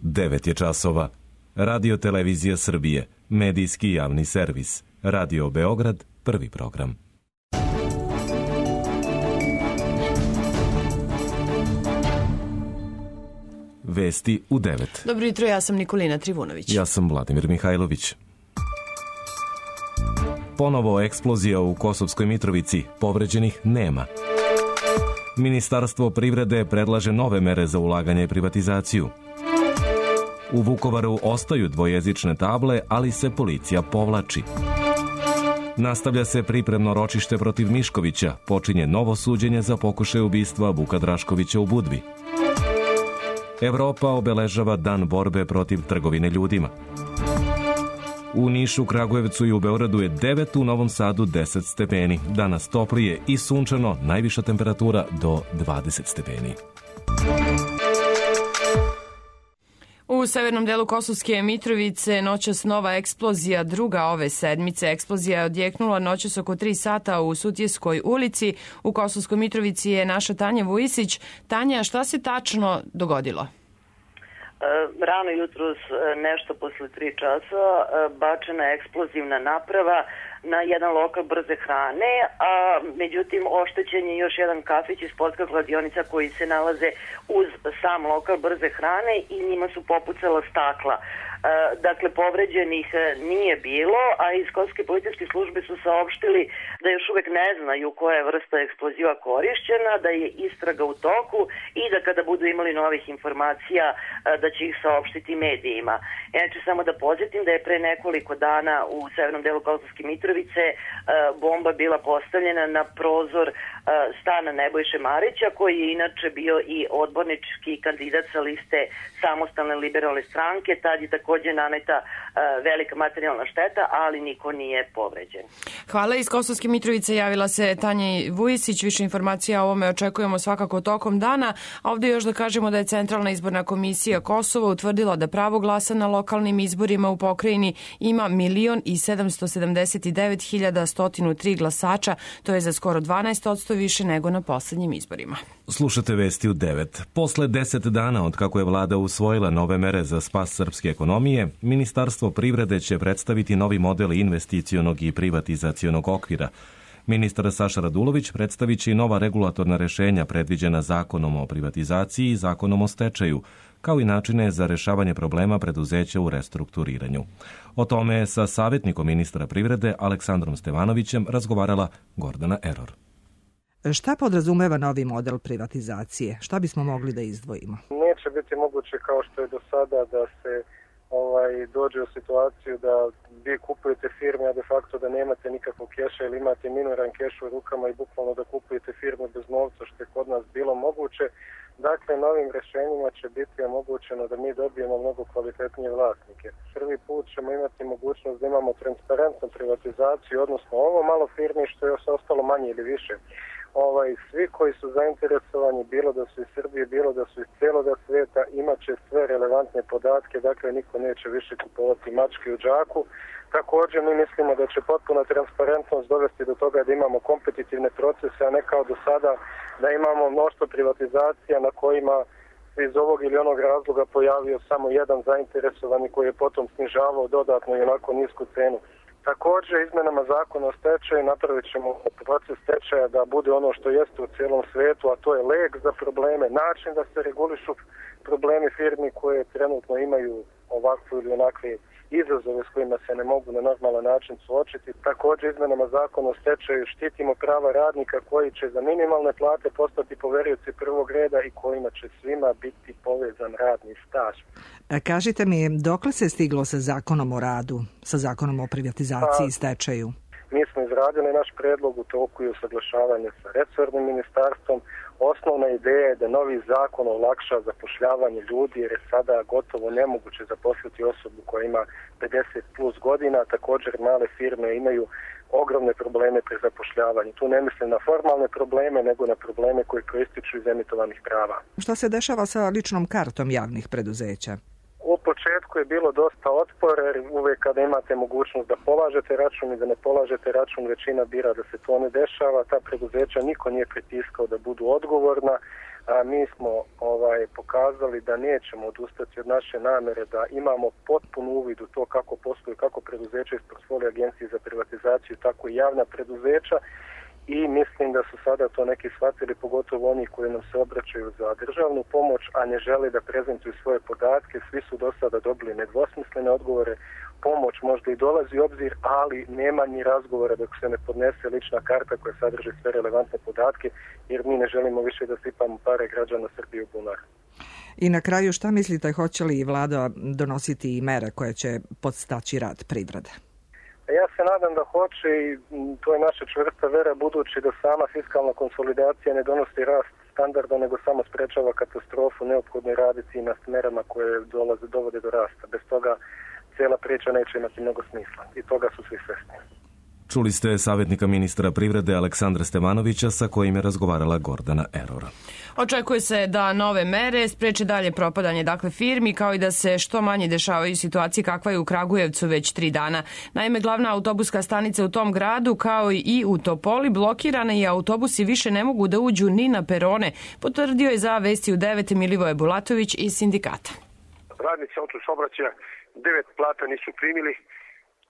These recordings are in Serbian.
9 je časova. Radio Televizija Srbije, medijski javni servis. Radio Beograd, prvi program. Vesti u 9. Dobro jutro, ja sam Nikolina Trivunović. Ja sam Vladimir Mihajlović. Ponovo eksplozija u Kosovskoj Mitrovici, povređenih nema. Ministarstvo privrede predlaže nove mere za ulaganje i privatizaciju. U Vukovaru ostaju dvojezične table, ali se policija povlači. Nastavlja se pripremno ročište protiv Miškovića, počinje novo suđenje za pokušaj ubistva Vuka Draškovića u Budvi. Evropa obeležava dan borbe protiv trgovine ljudima. U Nišu, Kragujevcu i u Beogradu je 9, u Novom Sadu 10 stepeni. Danas toplije i sunčano, najviša temperatura do 20 stepeni. U severnom delu Kosovske Mitrovice noćas nova eksplozija, druga ove sedmice. Eksplozija je odjeknula noćas oko 3 sata u Sutjeskoj ulici. U Kosovskoj Mitrovici je naša Tanja Vujisić. Tanja, šta se tačno dogodilo? Rano jutros, nešto posle 3 časa, bačena je eksplozivna naprava na jedan lokal brze hrane, a međutim oštećen je još jedan kafić i sportska kladionica koji se nalaze uz sam lokal brze hrane i njima su popucala stakla. Dakle, povređenih nije bilo, a iz Kosovske policijske službe su saopštili da još uvek ne znaju koja je vrsta eksploziva korišćena, da je istraga u toku i da kada budu imali novih informacija da će ih saopštiti medijima. Inače, samo da podsjetim da je pre nekoliko dana u severnom delu Kosovske Mitrovice bomba bila postavljena na prozor stana Nebojše Marića, koji je inače bio i odbornički kandidat sa liste Samostalne liberalne stranke. Tad je takođe naneta velika materijalna šteta, ali niko nije povređen. Hvala. Iz Kosovske Mitrovice javila se Tanja Vujisić. Više informacija o ovome očekujemo svakako tokom dana. A ovdje još da kažemo da je Centralna izborna komisija Kosova utvrdila da pravo glasa na lokalnim izborima u pokrajini ima 1.779.103 glasača. To je za skoro 12% više nego na poslednjim izborima. Slušate vesti u 9. Posle 10 dana od kako je vlada usvojila nove mere za spas srpske ekonomije, Ministarstvo privrede će predstaviti novi model investicionog i privatizacionog okvira. Ministar Saša Radulović predstavit će i nova regulatorna rešenja predviđena Zakonom o privatizaciji i Zakonom o stečaju, kao i načine za rešavanje problema preduzeća u restrukturiranju. O tome je sa savjetnikom ministra privrede Aleksandrom Stevanovićem razgovarala Gordana Eror. Šta podrazumeva novi model privatizacije? Šta bismo mogli da izdvojimo? Neće biti moguće kao što je do sada da se dođe u situaciju da vi kupujete firme, a de facto da nemate nikakvog keša ili imate minoran keš u rukama i bukvalno da kupujete firme bez novca, što je kod nas bilo moguće. Dakle, novim rešenjima će biti omogućeno da mi dobijemo mnogo kvalitetnije vlasnike. Prvi put ćemo imati mogućnost da imamo transparentnu privatizaciju, odnosno ovo malo firmi što je ostalo manje ili više. Svi koji su zainteresovani, bilo da su iz Srbije, bilo da su iz cijeloga svijeta, imat će sve relevantne podatke, dakle niko neće više kupovati mačke u džaku. Također mi mislimo da će potpuna transparentnost dovesti do toga da imamo kompetitivne procese, a ne kao do sada da imamo mnoštvo privatizacija na kojima iz ovog ili onog razloga pojavio samo jedan zainteresovani koji je potom snižavao dodatno i onako nisku cenu. Također, izmenama zakona o stečaju napravit ćemo proces stečaja da bude ono što jeste u cijelom svijetu, a to je lek za probleme, način da se regulišu problemi firmi koje trenutno imaju ovakvu ili onakve izazove s kojima se ne mogu na normalan način suočiti. Također, izmenama zakona o stečaju štitimo prava radnika koji će za minimalne plate postati poverioci prvog reda i kojima će svima biti povezan radni staž. Kažite mi, dokle se stiglo sa zakonom o radu, sa zakonom o privatizaciji i stečaju? Mi smo izradili naš predlog, u toku je usaglašavanje sa resornim ministarstvom. Osnovna ideja je da novi zakon olakša zapošljavanje ljudi, jer je sada gotovo nemoguće zaposliti osobu koja ima 50 plus godina. Također male firme imaju ogromne probleme pri zapošljavanju. Tu ne mislim na formalne probleme, nego na probleme koji proističu iz emitovanih prava. Šta se dešava sa ličnom kartom javnih preduzeća? U početku je bilo dosta otpora, jer uvijek kada imate mogućnost da polažete račun i da ne polažete račun, većina bira da se to ne dešava. Ta preduzeća niko nije pritiskao da budu odgovorna. mi smo pokazali da nećemo odustati od naše namere da imamo potpun uvid u to kako posluju, kako preduzeća iz portfolija Agencije za privatizaciju, tako i javna preduzeća. I mislim da su sada to neki shvatili, pogotovo oni koji nam se obraćaju za državnu pomoć, a ne žele da prezentuju svoje podatke. Svi su do sada dobili nedvosmislene odgovore. Pomoć možda i dolazi u obzir, ali nema ni razgovora dok se ne podnese lična karta koja sadrži sve relevantne podatke, jer mi ne želimo više da sipamo pare građana Srbije u bunar. I na kraju, šta mislite, hoće li vlada donositi i mere koje će podstaći rad privrede? Ja se nadam da hoće i to je naša čvrsta vera, budući da sama fiskalna konsolidacija ne donosi rast standarda, nego samo sprečava katastrofu. Neophodno je raditi na merama koje dovode do rasta. Bez toga cijela priča neće imati mnogo smisla i toga su svi svesni. Čuli ste savjetnika ministra privrede Aleksandra Stevanovića sa kojim je razgovarala Gordana Eror. Očekuje se da nove mere spreče dalje propadanje firmi, kao i da se što manje dešavaju situacije kakva je u Kragujevcu već 3 dana. Naime, glavna autobuska stanica u tom gradu, kao i u Topoli, blokirana i autobusi više ne mogu da uđu ni na perone, potvrdio je za Vesti u 9 Milivoje Bulatović iz sindikata. Radnici autosaobraćaja 9 plata nisu primili.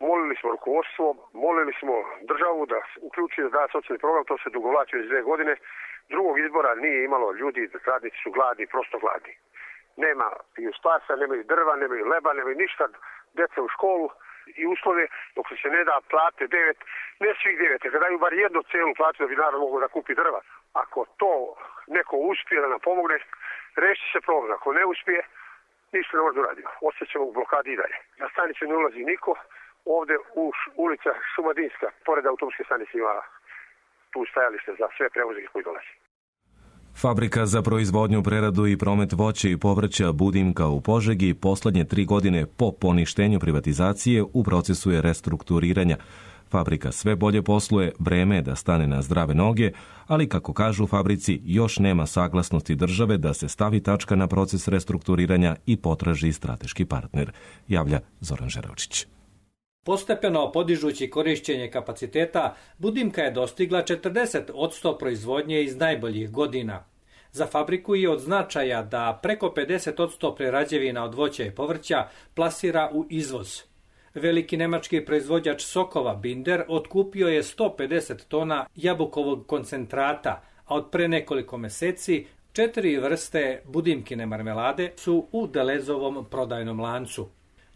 Molili smo rukovodstvo, molili smo državu da uključuje da socijalni program, to se dugovlači već 2 godine. Drugog izbora nije imalo, ljudi, radnici su gladni, prosto gladni. Nema piju spasa, nemaju drva, nemaju leba, nemaju ništa, djeca u školu i uslove, dok se ne da plate 9, ne svih 9, kada daju bar jednu celu platu da bi narod mogao da kupi drva. Ako to neko uspije da nam pomogne, reši se problem. Ako ne uspije, ništa ne može da uradimo. Ostaćemo u blokadi i dalje. Na stanicu ne ulazi niko. Ovde u ulica Šumadinska, pored autobuske stanice, ima tu stajalište za sve prevoznike koji dolaze. Fabrika za proizvodnju, preradu i promet voća i povrća Budimka u Požegi poslednje 3 godine po poništenju privatizacije u procesu je restrukturiranja. Fabrika sve bolje posluje, vreme je da stane na zdrave noge, ali kako kažu u fabrici, još nema saglasnosti države da se stavi tačka na proces restrukturiranja i potraži strateški partner, javlja Zoran Žerovčić. Postepeno podižući korišćenje kapaciteta, Budimka je dostigla 40% proizvodnje iz najboljih godina. Za fabriku je od značaja da preko 50% prerađevina od voća i povrća plasira u izvoz. Veliki nemački proizvođač sokova Binder otkupio je 150 tona jabukovog koncentrata, a od pre nekoliko meseci 4 vrste Budimkine marmelade su u Delezovom prodajnom lancu.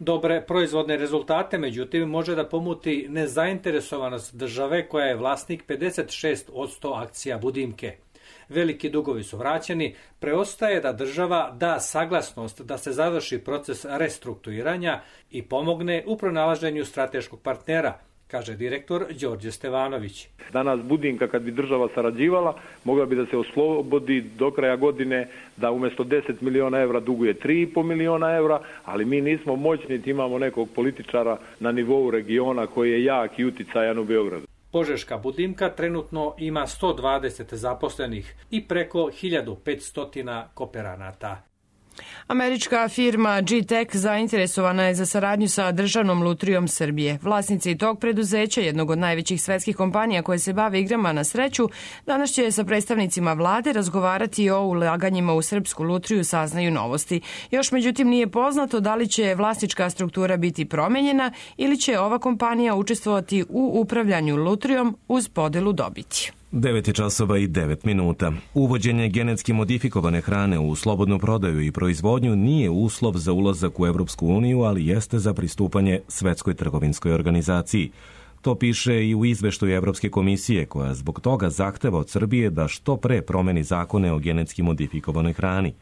Dobre proizvodne rezultate, međutim, može da pomuti nezainteresovanost države koja je vlasnik 56% akcija Budimke. Veliki dugovi su vraćeni, preostaje da država da saglasnost da se završi proces restrukturiranja i pomogne u pronalaženju strateškog partnera, kaže direktor Đorđe Stevanović. Danas Budimka, kad bi država sarađivala, mogla bi da se oslobodi do kraja godine da umjesto 10 miliona evra duguje 3,5 miliona evra, ali mi nismo moćni, imamo nekog političara na nivou regiona koji je jak i uticajan u Beogradu. Požeška Budimka trenutno ima 120 zaposlenih i preko 1500 kooperanata. Američka firma G-Tech zainteresovana je za saradnju sa Državnom lutrijom Srbije. Vlasnici tog preduzeća, jednog od najvećih svetskih kompanija koje se bave igrama na sreću, danas će sa predstavnicima vlade razgovarati o ulaganjima u srpsku lutriju, saznaju Novosti. Još međutim nije poznato da li će vlasnička struktura biti promenjena ili će ova kompanija učestvovati u upravljanju lutrijom uz podelu dobiti. 9:09. Uvođenje genetski modifikovane hrane u slobodnu prodaju i proizvodnju nije uslov za ulazak u Evropsku uniju, ali jeste za pristupanje Svetskoj trgovinskoj organizaciji. To piše i u izveštaju Evropske komisije, koja zbog toga zahteva od Srbije da što pre promeni zakone o genetski modifikovanoj hrani.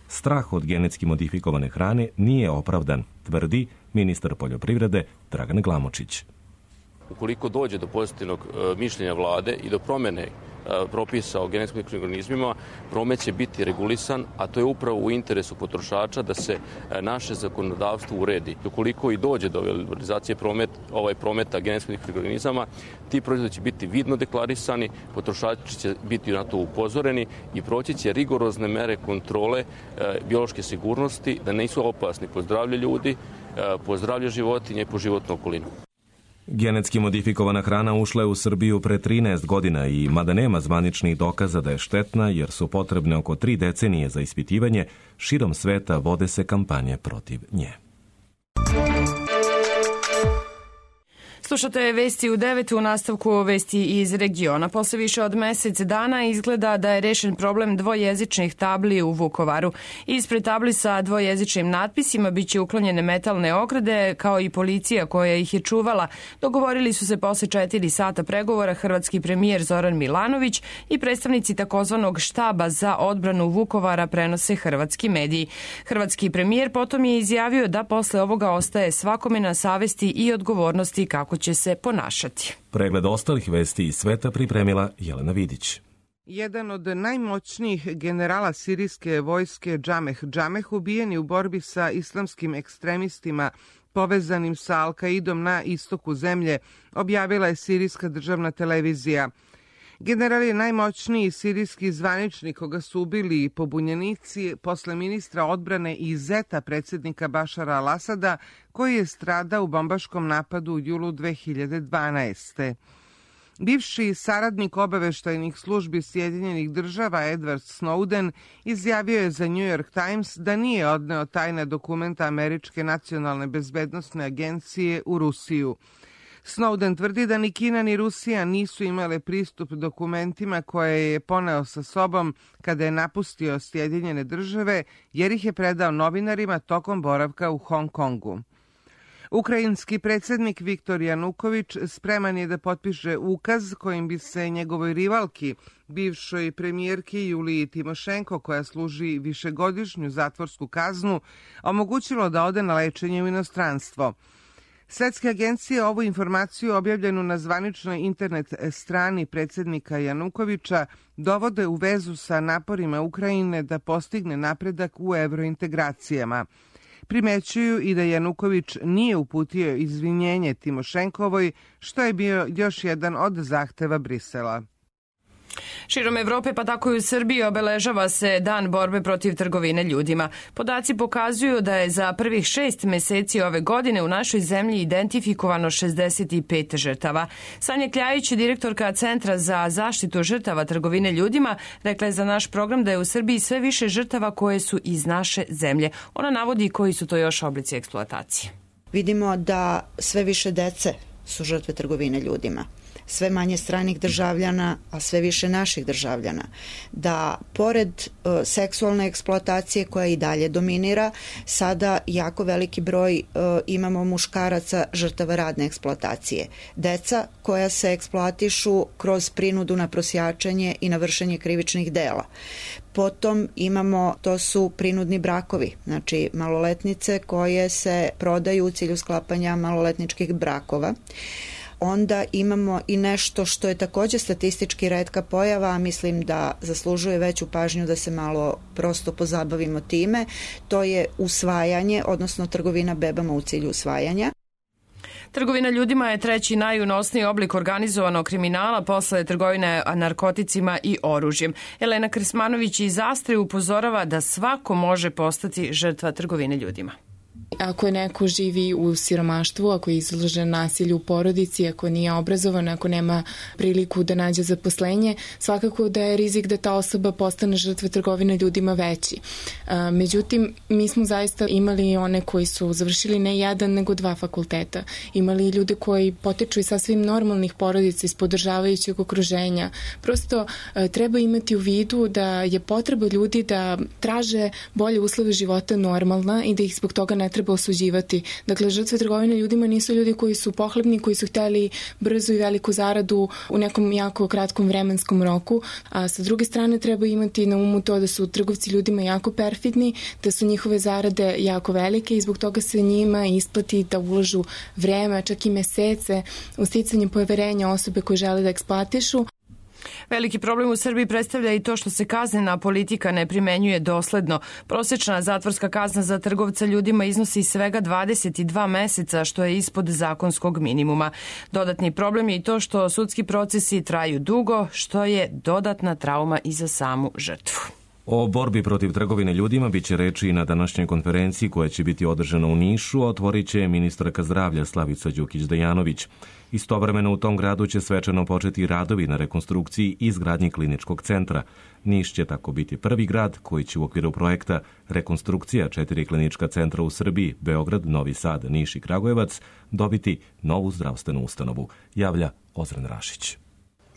Strah od genetski modifikovane hrane nije opravdan, tvrdi ministar poljoprivrede Dragan Glamočić. Ukoliko dođe do pozitivnog mišljenja vlade i do promene propisa o genetski modifikovanim organizmima, promet će biti regulisan, a to je upravo u interesu potrošača da se naše zakonodavstvo uredi. Ukoliko i dođe do liberalizacije prometa genetski modifikovanih organizama, ti proizvodi će biti vidno deklarisani, potrošači će biti na to upozoreni i proći će rigorozne mere kontrole biološke sigurnosti da nisu opasni po zdravlje ljudi, po zdravlje životinja i po životnu okolinu. Genetski modifikovana hrana ušla je u Srbiju pre 13 godina i mada nema zvaničnih dokaza da je štetna jer su potrebne oko 3 decenije za ispitivanje, širom sveta vode se kampanje protiv nje. Slušate vesti u 9 u nastavku vesti iz regiona. Posle više od mesec dana izgleda da je rešen problem dvojezičnih tabli u Vukovaru. Ispred tabli sa dvojezičnim natpisima biće uklonjene metalne ograde, kao i policija koja ih je čuvala. Dogovorili su se posle 4 sata pregovora hrvatski premijer Zoran Milanović i predstavnici takozvanog štaba za odbranu Vukovara, prenose hrvatski mediji. Hrvatski premijer potom je izjavio da posle ovoga ostaje svakome na savesti i odgovornosti kako će se ponašati. Pregled ostalih vesti iz sveta pripremila Jelena Vidić. Jedan od najmoćnijih generala sirijske vojske Džameh ubijen je u borbi sa islamskim ekstremistima povezanim sa Al-Kaidom na istoku zemlje, objavila je sirijska državna televizija. General je najmoćniji sirijski zvaničnik koga su ubili pobunjenici posle ministra odbrane i zeta predsjednika Bašara al-Asada, koji je stradao u bombaškom napadu u julu 2012. Bivši saradnik obaveštajnih službi Sjedinjenih država Edward Snowden izjavio je za New York Times da nije odneo tajne dokumenta Američke nacionalne bezbednosne agencije u Rusiju. Snowden tvrdi da ni Kina ni Rusija nisu imale pristup dokumentima koje je poneo sa sobom kada je napustio Sjedinjene države, jer ih je predao novinarima tokom boravka u Hong Kongu. Ukrajinski predsjednik Viktor Januković spreman je da potpiše ukaz kojim bi se njegovoj rivalki, bivšoj premijerki Juliji Timošenko, koja služi višegodišnju zatvorsku kaznu, omogućilo da ode na lečenje u inostranstvo. Svetske agencije ovu informaciju objavljenu na zvaničnoj internet strani predsjednika Janukovića dovode u vezu sa naporima Ukrajine da postigne napredak u evrointegracijama. Primećuju i da Januković nije uputio izvinjenje Timošenkovoj, što je bio još jedan od zahteva Brisela. Širom Evrope, pa tako i u Srbiji, obeležava se Dan borbe protiv trgovine ljudima. Podaci pokazuju da je za prvih 6 meseci ove godine u našoj zemlji identifikovano 65 žrtava. Sanja Kljajić, direktorka Centra za zaštitu žrtava trgovine ljudima, rekla je za naš program da je u Srbiji sve više žrtava koje su iz naše zemlje. Ona navodi koji su to još oblici eksploatacije. Vidimo da sve više dece su žrtve trgovine ljudima. Sve manje stranih državljana, a sve više naših državljana. Da pored seksualne eksploatacije koja i dalje dominira, sada jako veliki broj imamo muškaraca žrtava radne eksploatacije. Deca koja se eksploatišu kroz prinudu na prosjačenje i na vršenje krivičnih dela. Potom imamo, to su prinudni brakovi, znači maloletnice koje se prodaju u cilju sklapanja maloletničkih brakova. Onda imamo i nešto što je također statistički retka pojava, a mislim da zaslužuje veću pažnju da se malo prosto pozabavimo time. To je usvajanje, odnosno trgovina bebama u cilju usvajanja. Trgovina ljudima je treći najunosniji oblik organizovanog kriminala posle trgovine narkoticima i oružjem. Elena Krsmanović iz Astre upozorava da svako može postati žrtva trgovine ljudima. Ako neko živi u siromaštvu, ako je izložen nasilju u porodici, ako nije obrazovan, ako nema priliku da nađe zaposlenje, svakako da je rizik da ta osoba postane žrtva trgovine ljudima veći. Međutim, mi smo zaista imali one koji su završili ne jedan, nego 2 fakulteta. Imali ljude koji potiču iz sasvim normalnih porodica, iz podržavajućeg okruženja. Prosto treba imati u vidu da je potreba ljudi da traže bolje uslove života normalna i da ih zbog toga ne treba osuđivati. Dakle, žrtve trgovine ljudima nisu ljudi koji su pohlepni, koji su hteli brzu i veliku zaradu u nekom jako kratkom vremenskom roku, a sa druge strane treba imati na umu to da su trgovci ljudima jako perfidni, da su njihove zarade jako velike i zbog toga se njima isplati da ulažu vreme, čak i mesece u sticanje poverenja osobe koje žele da eksploatišu. Veliki problem u Srbiji predstavlja i to što se kaznena politika ne primenjuje dosledno. Prosečna zatvorska kazna za trgovca ljudima iznosi svega 22 meseca, što je ispod zakonskog minimuma. Dodatni problem je i to što sudski procesi traju dugo, što je dodatna trauma i za samu žrtvu. O borbi protiv trgovine ljudima biće reči i na današnjoj konferenciji koja će biti održana u Nišu, otvorit će ministarka zdravlja Slavica Đukić-Dejanović. Istovremeno u tom gradu će svečano početi radovi na rekonstrukciji i izgradnji kliničkog centra. Niš će tako biti prvi grad koji će u okviru projekta rekonstrukcija 4 klinička centra u Srbiji, Beograd, Novi Sad, Niš i Kragujevac, dobiti novu zdravstvenu ustanovu, javlja Ozren Rašić.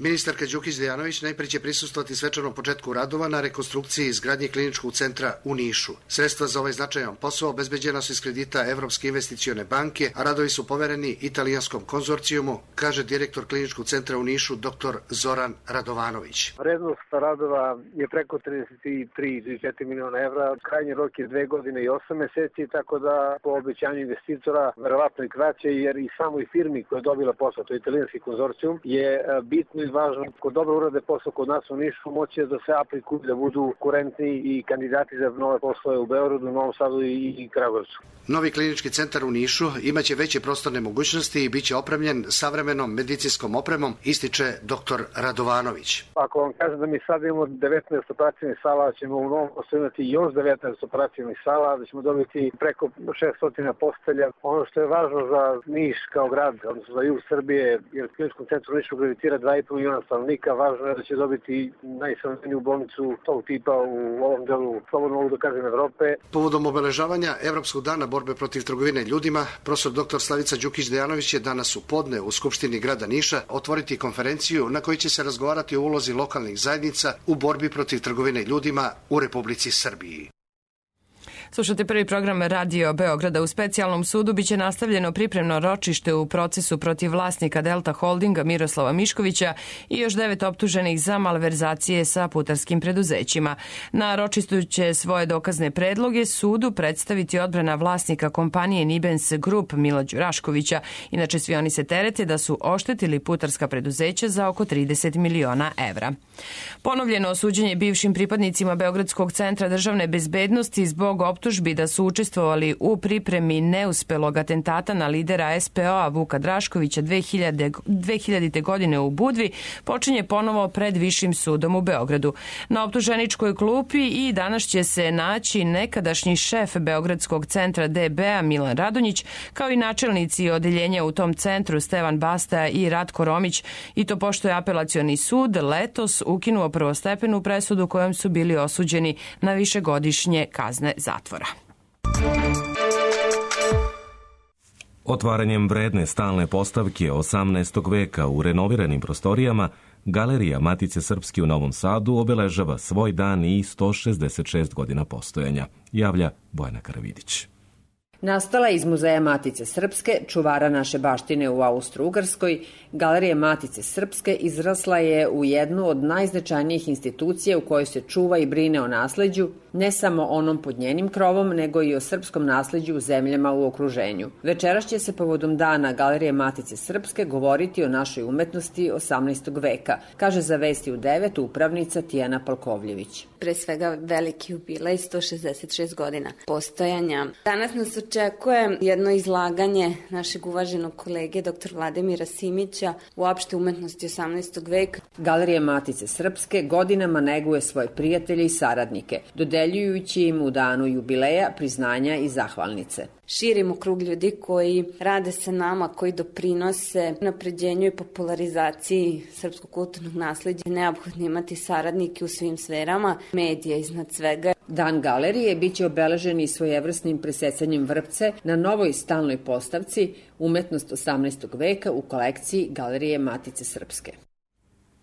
Ministarka Đukić-Dejanović najprije će prisustvovati svečanom početku radova na rekonstrukciji i izgradnji kliničkog centra u Nišu. Sredstva za ovaj značajan posao obezbeđena su iz kredita Evropske investicione banke, a radovi su povereni italijanskom konzorcijumu, kaže direktor kliničkog centra u Nišu dr. Zoran Radovanović. Vrednost radova je preko 33,4 miliona evra, krajnji rok je 2 godine i 8 meseci, tako da po obećanju investitora verovatno i kraće, jer i samoj firmi koja je dobila posao, to je italijanski konzorcijum, je bitno i važno, ko dobro urade posao kod nas u Nišu, moće da se aplikuju, da budu kurentni i kandidati za nove poslove u Beogradu, Novom Sadu i Kragujevcu. Novi klinički centar u Nišu imaće veće prostorne mogućnosti i biće opremljen savremenom medicinskom opremom, ističe dr. Radovanović. Ako vam kažem da mi sad imamo 19 operacijnih sala, ćemo u Novom Sadu imati još 19 operacijnih sala, da ćemo dobiti preko 600 postelja. Ono što je važno za Niš kao grad, odnosno za jug Srbije, jer u kliničkom centru u Nišu gravitira 2,5 miliona stanovnika, važno je da će dobiti najsavremeniju bolnicu tog tipa u ovom delu, slobodno mogu da kažem, Evrope. Povodom obeležavanja Evropskog dana borbe protiv trgovine ljudima, profesor dr. Slavica Đukić-Dejanović je danas u podne u Skupštini grada Niša otvoriti konferenciju na kojoj će se razgovarati o ulozi lokalnih zajednica u borbi protiv trgovine ljudima u Republici Srbiji. Slušate prvi program Radio Beograda. U specijalnom sudu biće nastavljeno pripremno ročište u procesu protiv vlasnika Delta Holdinga Miroslava Miškovića i još 9 optuženih za malverzacije sa putarskim preduzećima. Na ročištu će svoje dokazne predloge sudu predstaviti odbrana vlasnika kompanije Nibens Group Mila Đuraškovića. Inače, svi oni se terete da su oštetili putarska preduzeća za oko 30 miliona evra. Ponovljeno osuđenje bivšim pripadnicima Beogradskog centra državne bezbednosti zbog optužbi da su učestvovali u pripremi neuspelog atentata na lidera SPO-a Vuka Draškovića 2000. godine u Budvi počinje ponovo pred Višim sudom u Beogradu. Na optuženičkoj klupi i danas će se naći nekadašnji šef Beogradskog centra DB-a Milan Radonjić, kao i načelnici odeljenja u tom centru Stevan Basta i Ratko Romić, i to pošto je apelacioni sud letos ukinuo prvostepenu presudu kojom su bili osuđeni na višegodišnje kazne zatvora. Otvaranjem vredne stalne postavke 18. veka u renoviranim prostorijama, Galerija Matice Srpske u Novom Sadu obeležava svoj dan i 166 godina postojanja, javlja Bojana Karavidić. Nastala iz Muzeja Matice Srpske, čuvara naše baštine u Austro-Ugarskoj, Galerija Matice Srpske izrasla je u jednu od najznačajnijih institucija u kojoj se čuva i brine o nasleđu, ne samo onom pod njenim krovom, nego i o srpskom nasleđu u zemljama u okruženju. Večeras će se povodom dana Galerije Matice Srpske govoriti o našoj umetnosti 18. veka, kaže za Vesti u 9 upravnica Tijana Palkovljević. Pre svega veliki jubilej, 166 godina postojanja. Danas nas očekuje jedno izlaganje našeg uvaženog kolege dr. Vladimira Simića u opšte umetnosti 18. veka. Galerija Matice Srpske godinama neguje svoje prijatelje i saradnike, dodeljujući im u danu jubileja priznanja i zahvalnice. Širimo krug ljudi koji rade sa nama, koji doprinose napređenju i popularizaciji srpskog kulturnog nasleđa. Neophodno imati saradnike u svim sferama, medija iznad svega. Dan galerije biće obeležen i svojevrsnim presecanjem vrpce na novoj stalnoj postavci Umetnost 18. veka u kolekciji Galerije Matice Srpske.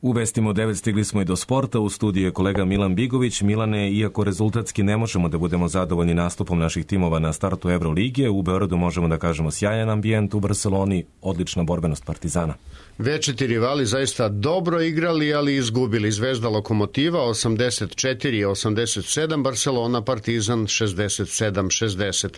U Vestima 9 stigli smo i do sporta. U studiju je kolega Milan Bigović. Milane, iako rezultatski ne možemo da budemo zadovoljni nastupom naših timova na startu Evrolige, u Beogradu možemo da kažemo sjajan ambijent, u Barceloni odlična borbenost Partizana. Večiti rivali zaista dobro igrali, ali izgubili. Zvezda Lokomotiva 84-87, Barcelona Partizan 67-60.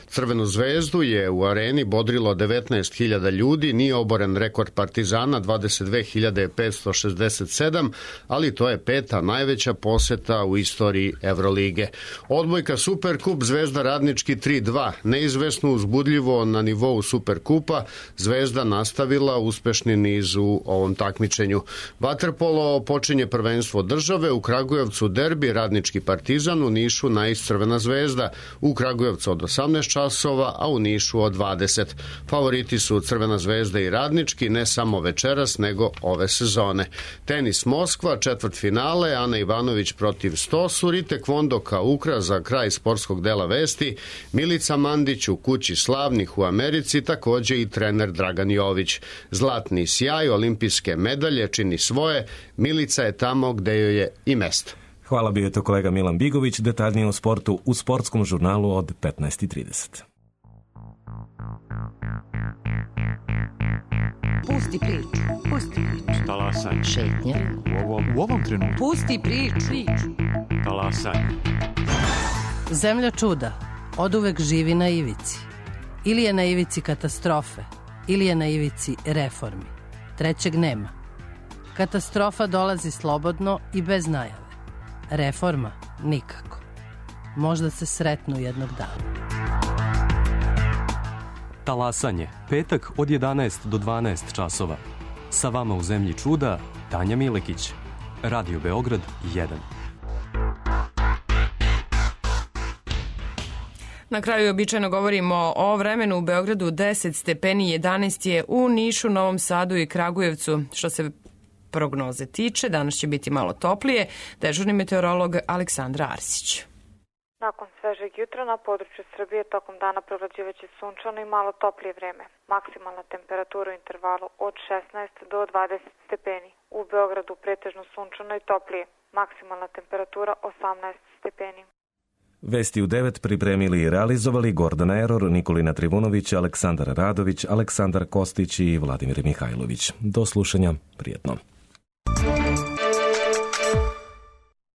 Crvenu zvezdu je u areni bodrilo 19.000 ljudi, nije oboren rekord Partizana 22.560 67, ali to je 5. najveća poseta u istoriji Evrolige. Odbojka Superkup, Zvezda Radnički 3-2. Neizvesno, uzbudljivo na nivou Superkupa, Zvezda nastavila uspešni niz u ovom takmičenju. Vaterpolo počinje prvenstvo države, u Kragujevcu derbi Radnički Partizan, u Nišu Nais Crvena Zvezda, u Kragujevcu od 18 časova, a u Nišu od 20. Favoriti su Crvena Zvezda i Radnički, ne samo večeras, nego ove sezone. Tenis Moskva, četvrtfinale, Ana Ivanović protiv Stosur i tekvondo Kaukra za kraj sportskog dela vesti, Milica Mandić u kući slavnih u Americi, takođe i trener Dragan Jović. Zlatni sjaj, olimpijske medalje čini svoje, Milica je tamo gde joj je i mesto. Hvala, bio je to kolega Milan Bigović, detaljnije o sportu u sportskom žurnalu od 15:30. Pusti priču. Pusti priču. Talasanje. Šetnja. U ovom trenutku. Pusti priču. Talasanje. Zemlja čuda oduvek živi na ivici. Ili je na ivici katastrofe, ili je na ivici reformi. Trećeg nema. Katastrofa dolazi slobodno i bez najave. Reforma nikako. Možda se sretnu jednog dana. Talasanje, petak od 11 do 12 časova. Sa vama u zemlji čuda, Tanja Milekić. Radio Beograd 1. Na kraju običajno govorimo o vremenu. U Beogradu 10 stepeni, 11 je u Nišu, Novom Sadu i Kragujevcu. Što se prognoze tiče, danas će biti malo toplije. Dežurni meteorolog Aleksandra Arsić. Nakon svežeg jutra na području Srbije tokom dana prevlađivaće sunčano i malo toplije vreme. Maksimalna temperatura u intervalu od 16 do 20 stepeni. U Beogradu pretežno sunčano i toplije. Maksimalna temperatura 18 stepeni. Vesti u 9 pripremili i realizovali Gordana Eror, Nikolina Trivunović, Aleksandar Radović, Aleksandar Kostić i Vladimir Mihajlović. Do slušanja, prijetno.